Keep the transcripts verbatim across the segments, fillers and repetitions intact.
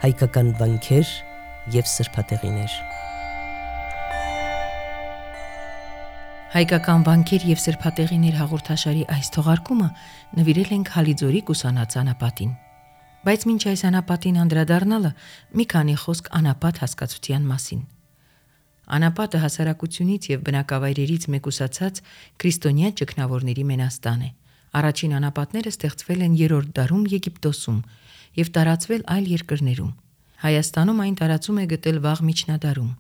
հայկական վանքեր և սրբատեղիներ։ Հայկական վանքեր և սրբատեղիներ հաղորդաշարի այս թողարկումը նվիրել ենք Հալիձորի կուսանած անապատին։ Բայց մինչ այս անապատին անդրադառնալը մի քանի խոսք անապատ հասկացության մասին։ Անապատը հասարակությունից և բնակավայրերից մեկուսացած քրիստոնյա ճգնավորների մենաստան է։ Առաջին անապատները ստեղծվել են երրորդ դարում Եգիպտոսում և տարածվել այլ երկրներում։ Հայաստանում այն տարածում է գտել վաղ միջնադարում։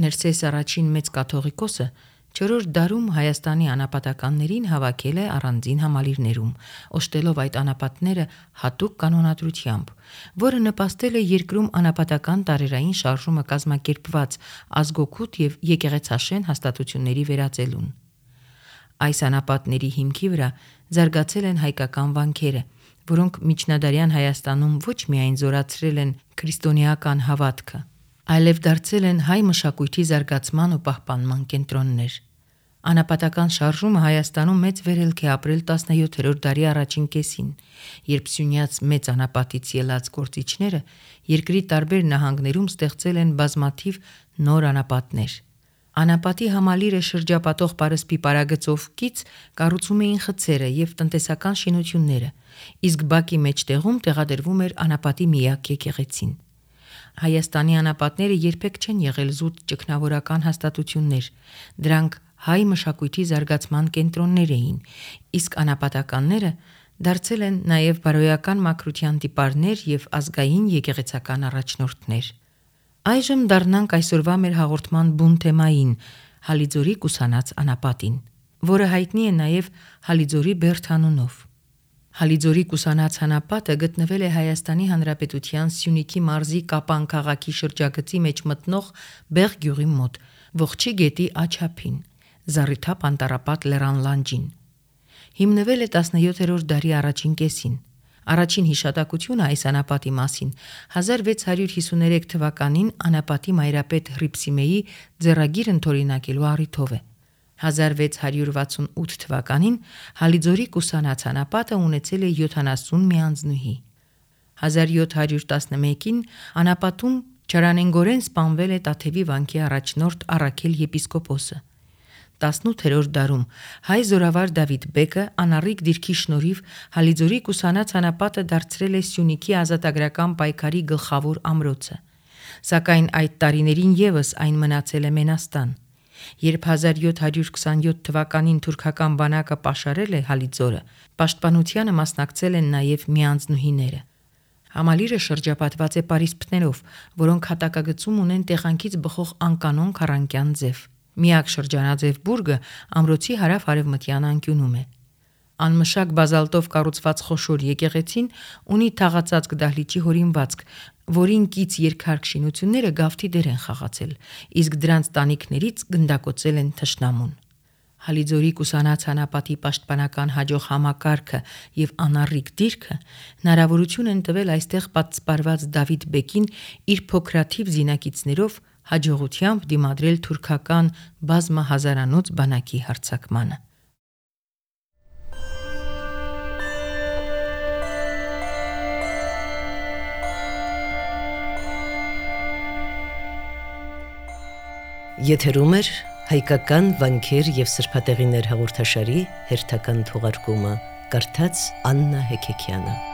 Ներսես առաջին մեծ կաթողիկոսը չորրորդ դարում Հայաստանի անապատականներին հավաքել է առանձին համալիրներում, օժտելով այդ անապատները հատուկ կանոնադրությամբ, որը նպաստել է երկրում անապատական տարերային շարժումը կազմակերպված ազգօգուտ և եկեղեցաշեն հաստատությունների վերածելուն։ Այս անապատների հիմքի վրա զարգացել են հայկական վանքերը, որոնք միջնադարյան Հայաստանում ոչ միայն զորացրել են քրիստոնեական հավատքը, այլև դարձել են հայ մշակույթի զարգացման ու պահպանման կենտրոններ։ Անապատական շարժումը Հայաստանում մեծ վերելք է ապրել տասնյոթերորդ դարի առաջին կեսին, երբ Սյունյաց մեծ անապատից ելած գործիչները երկրի տարբեր նահանգներում ստեղծել են բազմաթիվ նոր անապատներ։ Անապատի համալիրը շրջապատող պարսպի պարագծով կից կառուցում էին խցերը և տնտեսական շինությունները, իսկ բակի մեջտեղում տեղադրվում էր անապատի միակ եկեղեցին։ Հայաստանի անապատները երբեք չեն եղել զուտ ճգնավորական հաստատություններ, դրանք հայ մշակույթի զարգացման կենտրոններ էին, իսկ անապատականները դարձել են նաև բարոյական մաքրության տիպարներ և ազգային եկեղեցական առաջնորդներ։ Այժմ դառնանք այսօրվա մեր հաղորդման բուն թեմային՝ Հալիձորի կուսանած անապատին, որը հայտնի է նաև Հալիձորի բերդ անունով։ Հալիձորի կուսանած անապատը գտնվել է Հայաստանի Հանրապետության Սյունիքի մարզի Կապան քաղաքի շրջագծի մեջ մտնող Բեղ գյուղի մոտ, Ողջի գետի աջափին, Զառիթափ անտառապատ լեռան լանջին։ Հիմնվել է տասնյոթերորդ դարի առաջին կեսին։ Առաջին հիշատակությունը այս անապատի մասին հազար վեց հարյուր հիսուներեք թվականին անապատի մայրապետ Հռիփսիմեի ձեռագիր ընդօրինակելու առիթով է։ հազար վեց հարյուր վաթսունութ թվականին Հալիձորի կուսանած անապատը ունեցել է յոթանասուն մի անձնուհի։ հազար յոթ հարյուր տասնմեկին անապատում չարանենգորեն սպանվել է Տաթևի վանքի առաջնորդ Առաքել եպիսկոպոսը։ տասնութերորդ դարում հայ զորավար Դավիթ բեկը անառիկ դիրքի շնորհիվ Հալիձորի կուսանած անապատը դարձրել է Սյունիքի ազատագրական պայքարի գլխավոր ամրոցը, սակայն այդ տարիներին ևս այն մնացել է մենաստան։ Երբ հազար յոթ հարյուր քսանյոթ թվականին թուրքական բանակը պաշարել է Հալիձորը, պաշտպանությանը մասնակցել են նաև մի անձնուհիները։ Համալիրը շրջապատված է պարիսպներով, որոնք հատակագծում ունեն տեղանքից բխող անկանոն քառանկյան ձև։ Միակ շրջանաձև բուրգը ամրոցի հարավ-արևմտյան անկյունում է։ Անմշակ բազալտով կառուցված խոշոր եկեղեցին ունի թաղածածկ դահլիճի հորինվածք, որին կից երկհարկ շինությունները գավթի դեր են խաղացել, իսկ դրանց տանիքներից գնդակոծել են թշնամուն։ Հալիձորի կուսանած անապատի պաշտպանական հաջող համակարգը և անառիկ դիրքը հնարավորություն են տվել այստեղ պատսպարված Դավիթ բեկին իր փոքրաթիվ զինակիցներով հաջողությամբ դիմադրել թուրքական բազմահազարանոց բանակի հարձակմանը։ Եթերում է հայկական վանքեր և սրբատեղիներ հաղորդաշարի հերթական թողարկումը, կարդաց Աննա Հեքեքյանը։